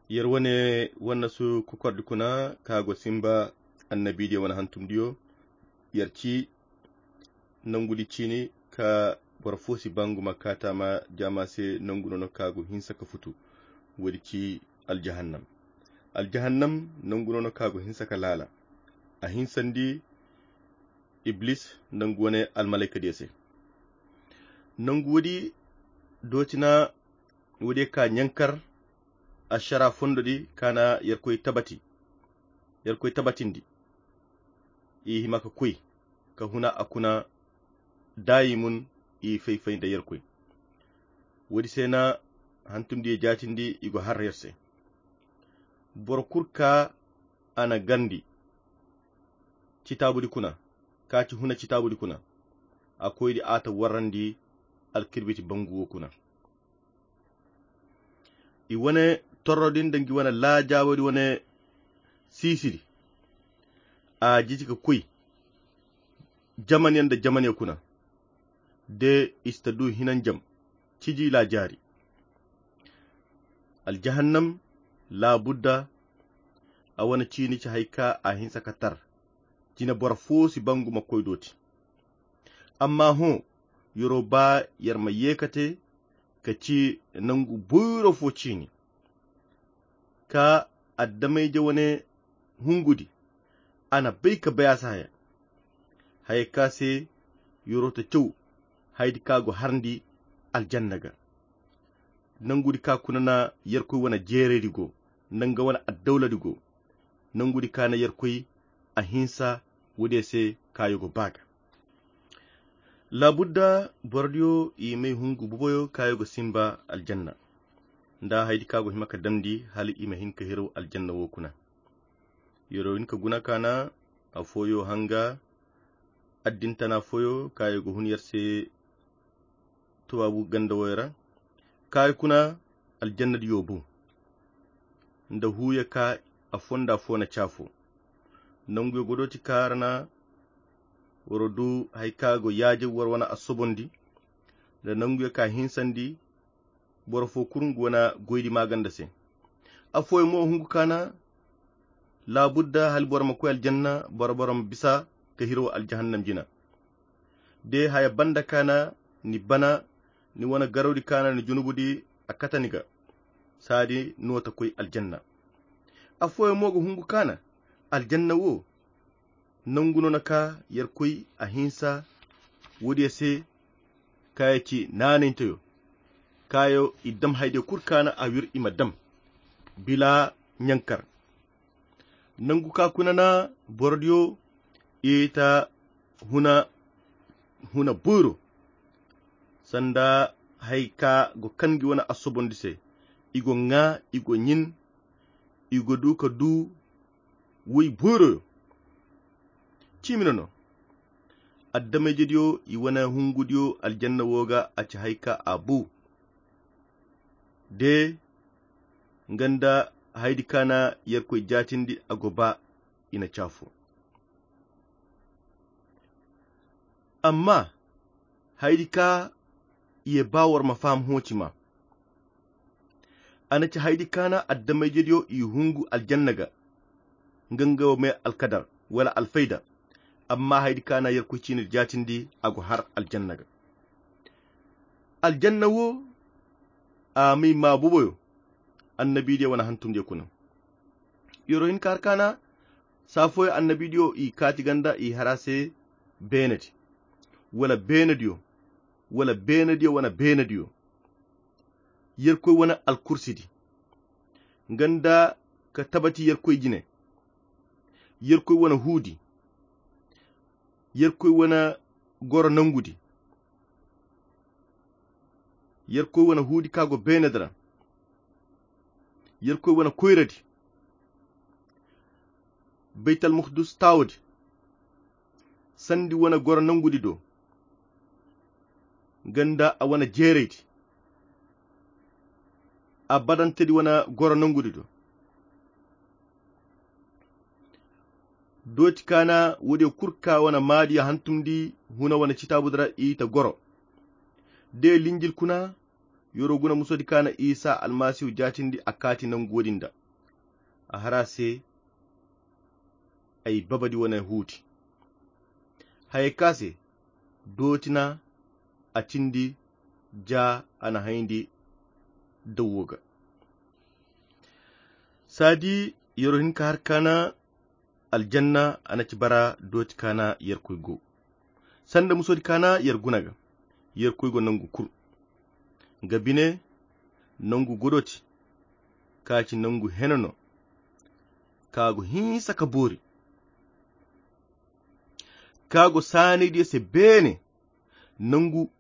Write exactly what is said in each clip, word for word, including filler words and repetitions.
Yer wane wannasu kokordi kuna ka go simba annabidiyo wane hantumdiyo. Yer ci nangudi ciini ka boro fo si bangu ma kaata ma jaama se nangu no no ka go hinsa ka futu. Woodi ci aljahannam. Aljahannam nangu no no ka go hinsa ka laala. A hinsandi iblis nangu wane almalaykadiyo se. Nangu woodi dooti na woodiyo ka ɲankar ašara fondodi ka na yerkoy tabati yerkoy tabatindi. I hima ka koy ka huna a kuna daayimun i fay-fay nda yerkoy. Woodi se na hantumdiyo jaatindi i go har yer se. Boro kul ka a na gandi citaabudi kuna ka ci huna citaabudi kuna. A koydi a ta warrandi alkirbiti bangu wo kuna. I wane torro din da ngi wane laajaawodi wane siisidi. A jiji ka koy jamaniyo nda jamaniyo kuna de i si ta du hinanjam ciji laajaari. Aljahannam laabudda a wane ciini ci hari ka a hinsa ka tar jine boro fo si bangu ma koy dooti. Amma hõ, yer'o baa yer ma ye ka te ka ci nangu boyro fo ciini ka addamayje wane hungudi. A na bay ka bay a si haya haya ka se yer'o ta caw haydi ka go harndi aljanna ga. Nangudi ka kuna na yerkoy wane jeeraydi go nda nga wane addawladi go. Nangudi ka na yerkoy a hinsa woodiyo se kaayo go baa ga. Laabudda borodiyo i may hungu buboyo kaayo go simba aljanna nda haydi ka go hima ka damndi hala i ma hin ka hiraw aljanna wo kuna. Yer'o hin ka guna ka na afooyo hanga addintana fooyo kaayo go hun yer se tubaabu ganda woyo ra. Kaayo kuna aljannadiyo bu nda huuyo ka a fonda fo na caafo. Nanguyo godooti ka ra na woro du hari ka go yaaje woro wane a sobondi nda nanguyo ka hinsandi boro fo kul ngu wane goydi maaganda se. Afooyo mo hungu ka na laabudda hala boro ma koy aljanna boro boro ma bisa ka hiro aljahannam jina. De haya banda ka na ni bana ni wane garawdi ka na ni junubudi a kata ni ga saadi no ta koy aljanna. Afooyo mo ga hungu ka na aljanna wo nangu no na ka yerkoy a hinsa woodiyo se kaayo ci naanaynteyo kaayo i dam haydiyo kul ka na a wir i ma dam bila ɲankar. Nangu ka kuna na borodiyo i ta huna huna boyro sanda hari ka go kan ngi wane a sobondi se. I go ŋaa i go ɲin i go du ka du woy boyroyo. Ciimi no no addamayjediyo i wane hungudiyo aljanna wo ga a ci hari ka a bu de nga nda haydi ka na yerkoy jaatindi a go ba i na caafo. Amma haydi ka ye ba war ma faham hooci ma a na ci haydi ka na addamayjediyo i hungu aljanna ga nga nga wo me alkadar wala alfayda. Amma haydi ka na yerkoy ciini jaatindi a go har aljanna ga. Aljanna wo a may ma buboyo annabidiyo wane hantumdiyo kuna. Yero hin ka har ka na saafoyo annabidiyo i kaati ganda i hara se beenedi wala beenediyo wala beenediyo wane beenediyo yerkoy wane alkursidi nga nda ka tabati yerkoy jine yerkoy wane huudi yerkoy wane goro nangudi yerkoy wane huudi ka go beenedi ra yerkoy wane koyradi baytal muhdus taawodi sandi wane goro nangudi do nga nda a wane jeeraydi a badantedi wane goro nangudi do dooti ka na woodiyo kul ka wane maadiyo hantumndi huna wane citaabudi ra i ta goro de linjil kuna yoro guna musodi ka na isa almasihu jaatindi a kaati nangu woodin da a har a se ay babadi wane huudi. Hayey ka se dooti na a cindi ja a na hayandi dawwo ga. Saadi yero hinka har kaana aljanna a na ci bara dooti kaana yerkoy go sanda musoodi kaana yer guna ga. Yerkoy go nangu kul nga bine nangu godoti ka ci nangu hene no ka go hinsa ka boori ka go saanaydiyo se beene. Nangu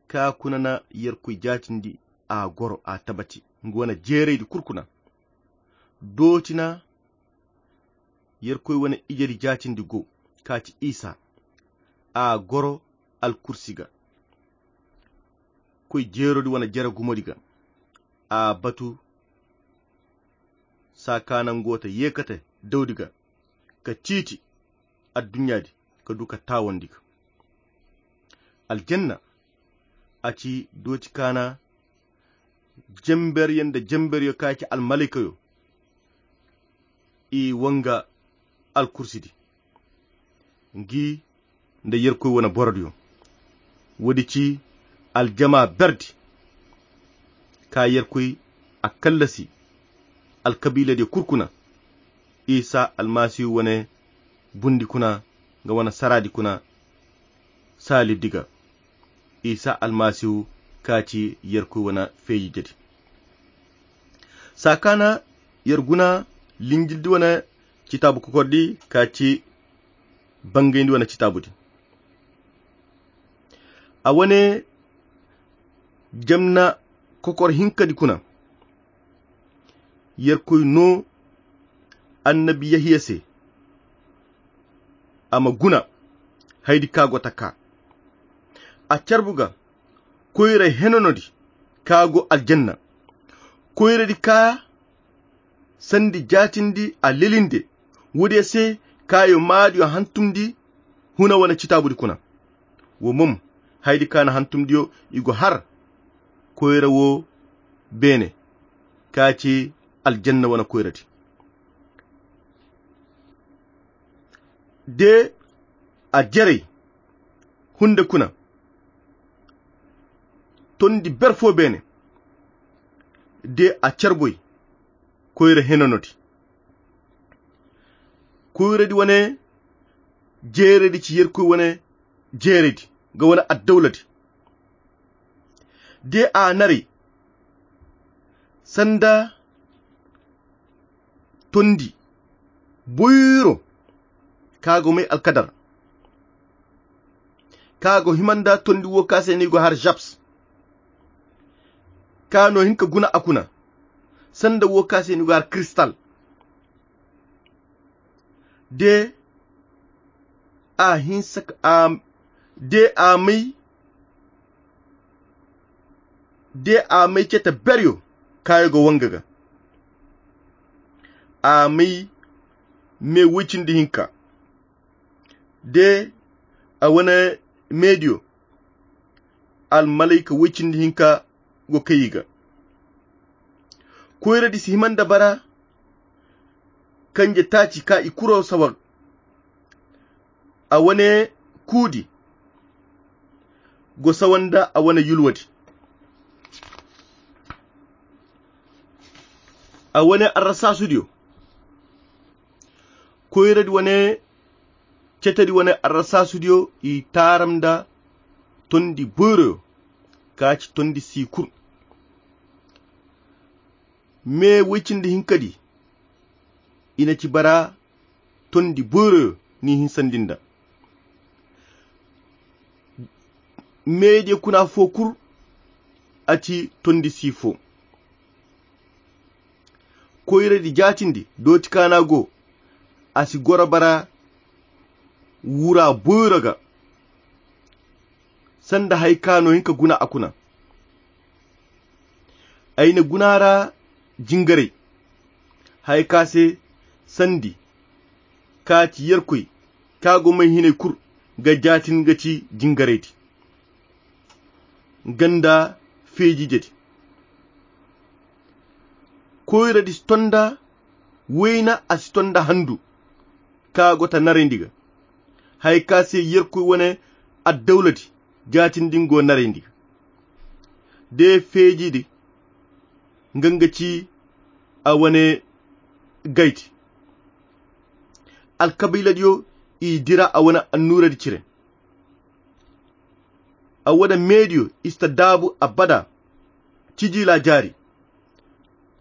ka kuna na yerkoy jaatindi a goro a tabati nga wane jeeraydi kul kuna. Dooti na yerkoy wane ijedi jaatindi go ka ci isa a goro alkursi ga koy jeerodi wane jere gumodi ga. A batu saa ka nango ta yeekate dawdi ga ka ciiti adduɲɲaadi ka du ka taawandi ga. Aljanna a ci dooti kaana jemberyo nda jemberyo ka ci almalaykayo i wanga alkursidi ngi nda yerkoy wane borodiyo. Woodi ci aljama berdi ka yerkoy a kallasi alkabiiladiyo kul kuna isa almasihu wane bundi kuna nga wane saraadi kuna saaliddi ga isa almasihu ka ci yerkoy wane feejijedi. Saa kaana yer guna linjildi wane citaabu kokordi ka ci bangayndi wane citaabudi a wane jamna kokor hinkadi kuna yerkoy no annabi yahiya se a ma guna haydi ka go ta ka a carbu ga koyra henanodi ka go aljanna koyradi ka sandi jaatindi a lelinde woodiyo se kaayo maadiyo hantumndi huna wane citaabudi kuna. Wo mom haydi ka na hantumndiyo i go har koyra wo beene ka ci aljanna wane koyradi. De a jerey hunde kuna tondi ber fo beene de a carboy koyra henanodi koyradi wane jeeredi ci yerkoy wane jeeredi ga wane addawladi de a naray sanda tondi boyro ka go may alkadar ka go hima nda tondi wo ka se no i go har japs ka no hin ka guna a kuna sanda wo ka se no i go har kristal de a hinsa ka a de a may de a may cete beryo kaayo ga wanga ga a may me woy cindi hinka de a wane meediyo almalayka woy cindi hinka go kay i ga koyradi si hima nda bara kanje taaci ka i kuro sawar a wane kuudi go sawa nda a wane yulwadi a wane arrasaasudiyo koyradi wane cetedi wane arrasaasudiyo i taaram nda tondi boyroyo ka ci tondi siikur me woy cindi hinkadi i na ci bara tondi boyroyo ni hinsandi nda meediyo kuna fo kul a ci tondi si fo koyradi jaatindi dooti kaana go a si goro bara wura boyro ga sanda hari ka no hin ka guna a kuna ay na guna ra jingaray hari ka se sandi ka ci yerkoy ka go may hinay kul ga jaatin ga ci jingaraydi ganda feejijedi koyradi si tonda Wayna a si ton nda handu ka go ta narayndi ga. Haya ka se yerkoy wane addawladi jaatindi nga go narayndi ga. De feejidi nga nga ci a wane gaydi. Alkabiiladiyo i dira a wane annuuradi cire. A wane meediyo i si ta daabu abada. Ciji laajaari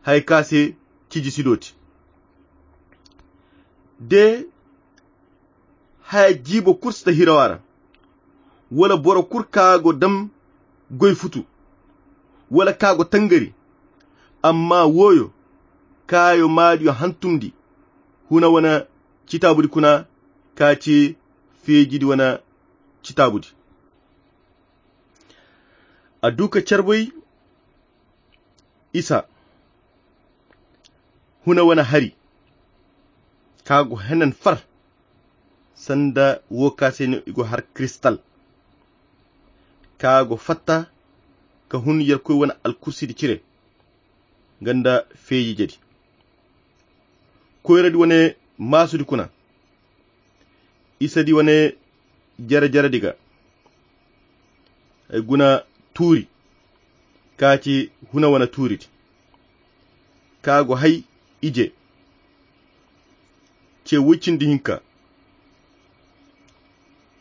haya ka se ciji si dooti. De haya jiibo kul si ta hiraw a ra. Wala boro kul ka go dam goy futu wala ka go tangari. Amma wooyo kaayo maadiyo hantumndi huna wane citaabudi kuna ka ci feejidi wane citaabudi. A du ka carbay isa huna wane hari ka go henan far sanda wo ka se no i go har kiristal ka go fatta ka hun yerkoy wane alkursidi cire nga nda feeji jadi. Koyradi wane maasudi kuna isadi wane jere-jeredi ga ay guna tuuri ka ci huna wane tuuridi ka go hay ije ce woy cindi hinka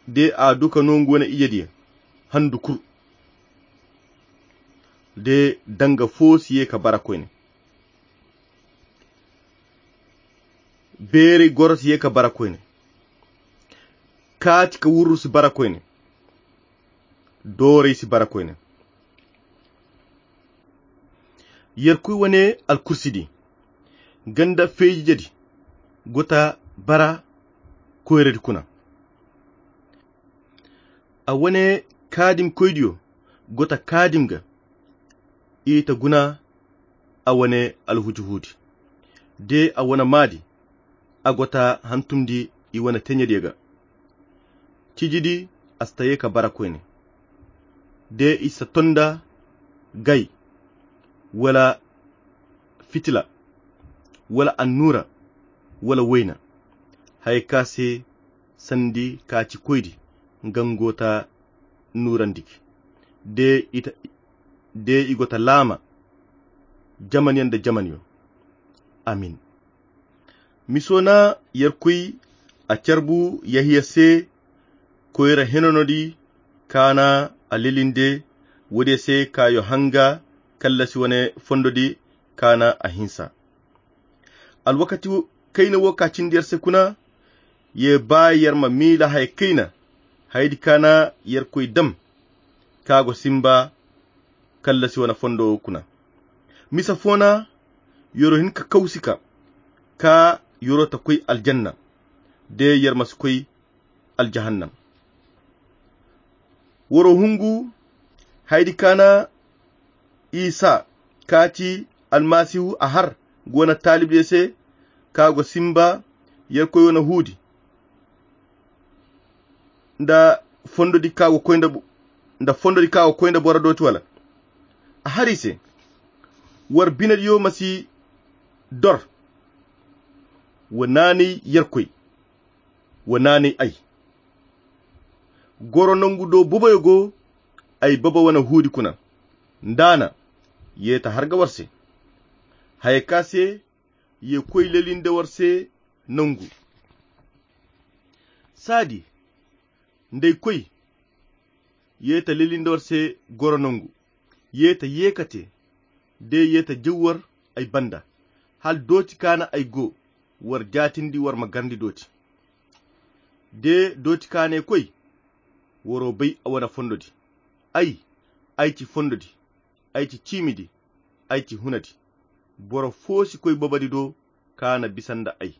de a du ka no nga wane ijediyo handu kul. De danga fo si ye ka bara koyne. Beeray goro si ye ka bara koyne. Kaati ka wurru si bara koyne. Dooray si bara koyne. Yerkoy wane alkursidi nga nda feejijedi go ta bara koyradi kuna. A wane kaadimkoydiyo go ta kaadim ga i ta guna a wane alhujuhuudi de a wane maadi a go ta hantumndi i wane teɲediyo ga. Cijidi a si ta ye ka bara koyne de i si ta ton nda gay wala fitila wala annuura wala wayna haya ka se sandi ka ci koydi nga nga go ta nuurandi gi de i ta de i go ta laama jamanyaŋ nda jamanyaŋ. Amin. Miso na yerkoy a carbu yahiya se koyra henanodi kaana a lelinde woodiyo se kaayo hanga kallasi wane fondodi kaana a hinsa. Alwakati kayna wo ka cindi yer se kuna ye ba yer ma miila haya kayna hayadi kaana yerkoy dam ka go simba kallasi wane fondo kuna. Misa fo na yoro hin ka kawsi ka ka yoro ta koy aljanna de yer ma si koy aljahannam. Woro hungu hayadi kaana isa ka ci almasihu a har ga wane taalibdiyo se ka go simba yerkoy wane huudi nda fondodi ka go koy nda nda fondodi ka go koy nda boro dooti wala a har i se war binediyo ma si dor. Wa naanay yerkoy wa naanay ay goro nangu do boboyo go ay baba wane huudi kuna. Nda a na ye ta har ga war se haya ka se ye koy lelinde war se nangu saadi nda ay koy ye ta lelinde war se goro nangu ye ta ye ka te de ye ta jaw war ay banda hala dooti kaana ay go war jaatindi war ma garndi dooti de dooti kaanay koy waro bay a wane fondodi. Ay ay ci fondodi ay ci ciimidi ay ci hunadi. Boro fo si koy babadi do kaana bisa nda ay.